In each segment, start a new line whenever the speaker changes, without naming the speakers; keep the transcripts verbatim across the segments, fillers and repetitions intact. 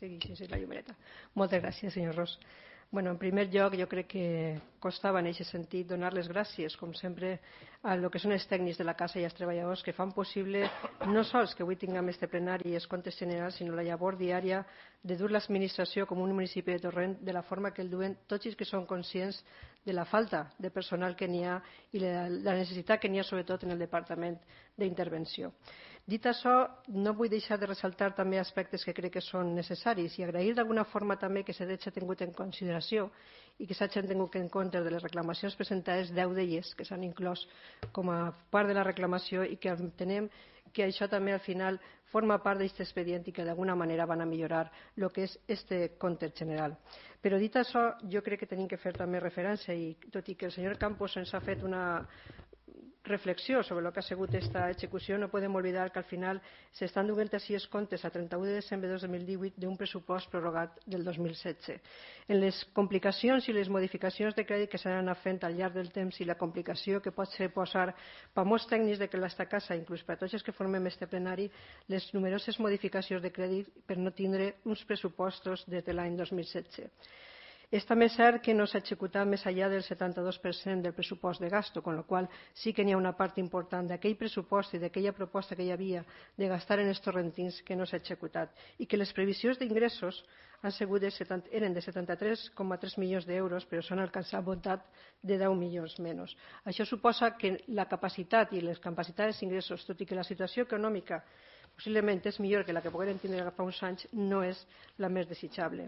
segueixi la llumereta. Moltes gràcies, senyor Ros. Bueno, en primer lloc, jo crec que costava en aquest sentit donar les gràcies, com sempre, a lo que són els tècnics de la casa i els treballadors que fan possible no sols que avui tinguem este plenari i els comptes generals, sinó la llavor diària de dur l'administració com un municipi de Torrent de la forma que el duen tots els que són conscients de la falta de personal que n'hi ha i la, la necessitat que n'hi ha sobretot en el Departament d'Intervenció. Dit això, no vull deixar de ressaltar també aspectes que crec que són necessaris i agrair d'alguna forma també que s'hagi tingut en consideració i que s'hagin tingut en compte de les reclamacions presentades, deu d'elles que s'han inclòs com a part de la reclamació i que entenem que això també al final forma part d'aquest expedient i que d'alguna manera van a millorar el que és este compte general. Però dit això, jo crec que tenim que fer també referència i tot i que el senyor Campos ens ha fet una reflexió sobre el que ha sigut aquesta execució, no podem oblidar que al final s'estan duent així els comptes a trenta-u de desembre de dos mil divuit d'un pressupost prorrogat del dos mil setze. En les complicacions i les modificacions de crèdit que s'han anat fent al llarg del temps i la complicació que pot ser posar per molts tècnics de que l'esta casa, inclús per a tots els que formem este plenari, les numeroses modificacions de crèdit per no tindre uns pressupostos des de l'any dos mil setze. És també cert que no s'ha executat més enllà del setanta-dos per cent del pressupost de gasto, con lo qual sí que n'hi ha una part important d'aquell pressupost i d'aquella proposta que hi havia de gastar en els torrentins que no s'ha executat i que les previsions d'ingressos han sigut de setanta, eren de setanta-tres coma tres milions d'euros, però s'han alcançat voltat de deu milions menys. Això suposa que la capacitat i les capacitats d'ingressos, tot i que la situació econòmica possiblement és millor que la que pogueren tindre fa uns anys, no és la més desitjable.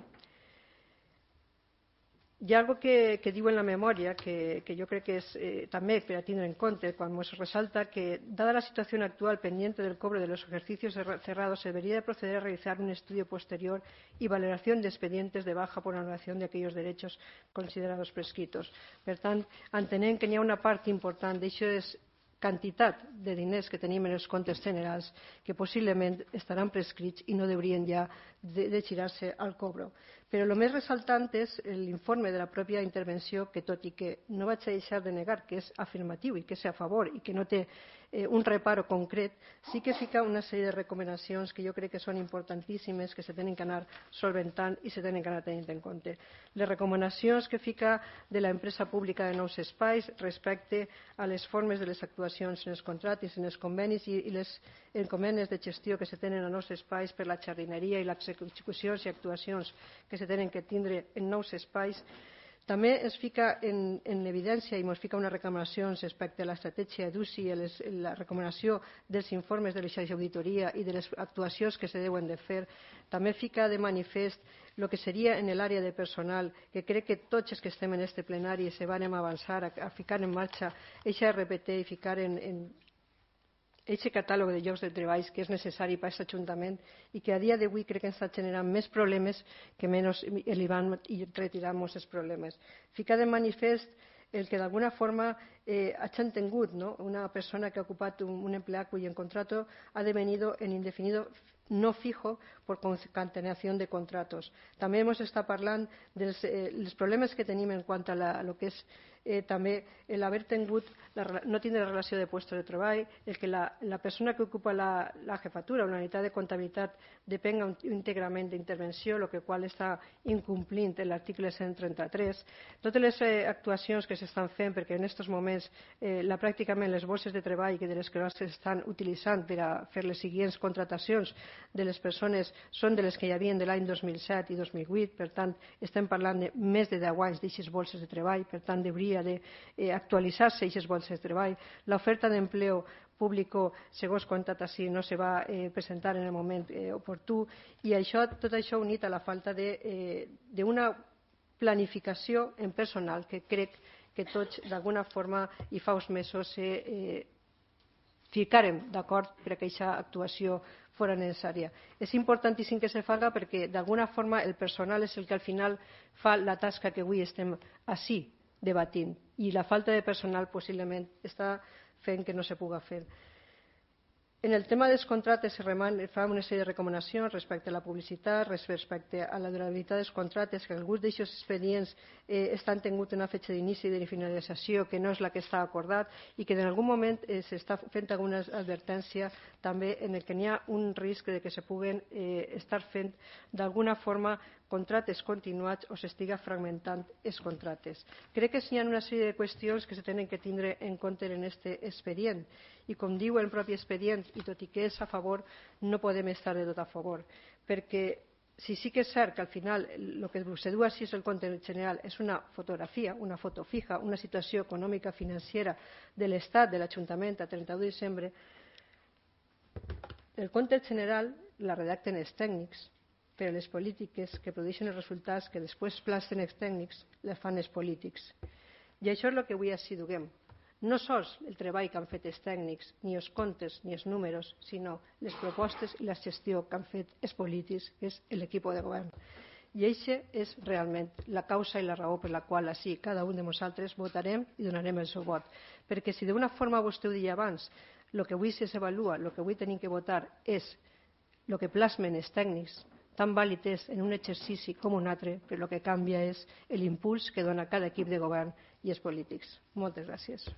Hi ha algo que, que diu en la memòria que, que jo crec que és eh, també per a tindre en compte quan ens resalta que, dada la situación actual pendiente del cobro de los ejercicios cerrados, se debería de proceder a realizar un estudio posterior y valoración de expedientes de baja por anulación de aquellos derechos considerados prescritos. Per tant, entenem que n'hi ha una part important d'això quantitat de diners que tenim en els comptes generals que possiblement estaran prescrits i no haurien ja de, de girar-se al cobro. Però el més ressaltant és l'informe de la pròpia intervenció que, tot i que no vaig a deixar de negar que és afirmatiu i que és a favor i que no té eh, un reparo concret, sí que fica una sèrie de recomanacions que jo crec que són importantíssimes, que se tenen que anar solventant i se tenen que anar tenint en compte. Les recomanacions que fica de l'empresa pública de nous espais respecte a les formes de les actuacions en els contractes, en els convenis i, i les encomendes de gestió que se tenen a nous espais per la jardineria i les execucions i actuacions que se tenen que tindre en nous espais. També es fica en, en evidència i ens fica unes recomanacions respecte a l'estratègia d'U C I i la recomanació dels informes de l'auditoria i de les actuacions que se deuen de fer. També fica de manifest el que seria en l'àrea de personal, que crec que tots els que estem en este plenari se van avançar a, a ficar en marxa eixa R P T i ficar en, en aquest catàleg de llocs de treball que és necessari per a aquest Ajuntament i que a dia d'avui crec que ens està generant més problemes que menys li van retirar molts els problemes. Ficar de manifest el que d'alguna forma eh, hagin tingut, ¿no? Una persona que ha ocupat un, un empleat cuyo contrato ha devenido en indefinido no fijo por concatenación de contratos. També hemos estat parlant dels eh, els problemes que tenim en quant a, la, a lo que és eh, també l'haver tingut, la, no tindre relació de puestos de treball, el que la, la persona que ocupa la, la jefatura o la unitat de comptabilitat depenga íntegrament d'intervenció, el que qual està incomplint l'article cent trenta-tres. Totes les eh, actuacions que s'estan fent, perquè en aquests moments eh, la, pràcticament les borses de treball que de les que s'estan utilitzant per a fer les següents contratacions de les persones són de les que hi havia de l'any dos mil set i dos mil vuit, per tant estem parlant de més de deu anys d'aquestes bolses de treball, per tant hauria d'actualitzar-se aquestes bolses de treball. L'oferta d'empleo público segons contratació no se va eh, presentar en el moment eh, oportú i això, tot això unit a la falta d'una eh, planificació en personal que crec que tots d'alguna forma i fa uns mesos eh, ficarem d'acord per a que aquesta actuació fora necessària. És importantíssim que se faci perquè d'alguna forma el personal és el que al final fa la tasca que avui estem així debatint i la falta de personal possiblement està fent que no se pugui fer. En el tema dels contractes se fa una sèrie de recomanacions respecte a la publicitat, respecte a la durabilitat dels contractes, que alguns d'aquests expedients eh, estan tingut una fetge d'inici i de finalització que no és la que està acordat i que en algun moment eh, s'està fent alguna advertència també en el que n'hi ha un risc de que se puguen eh, estar fent d'alguna forma contractes continuats o s'estiga fragmentant els contractes. Crec que hi ha una sèrie de qüestions que se tenen que tindre en compte en aquest expedient i, com diu el propi expedient, i tot i que és a favor, no podem estar de tot a favor, perquè si sí que és cert que al final el que se du així és el compte general és una fotografia, una foto fija, una situació econòmica financera de l'Estat, de l'Ajuntament a trenta u de desembre, el compte general la redacten els tècnics, però les polítiques que produeixen els resultats que després plasten els tècnics les fan els polítics. I això és el que avui així duguem. No sols el treball que han fet els tècnics, ni els comptes, ni els números, sinó les propostes i la gestió que han fet els polítics, que és l'equip de govern. I aquesta és realment la causa i la raó per la qual així cada un de nosaltres votarem i donarem el seu vot. Perquè si d'una forma vostè ho deia abans, el que avui s'avalua, el que avui tenim que votar és el que plasmen els tècnics, tan vàlid és en un exercici com un altre, però el que canvia és l'impuls que dona cada equip de govern i els polítics. Moltes gràcies.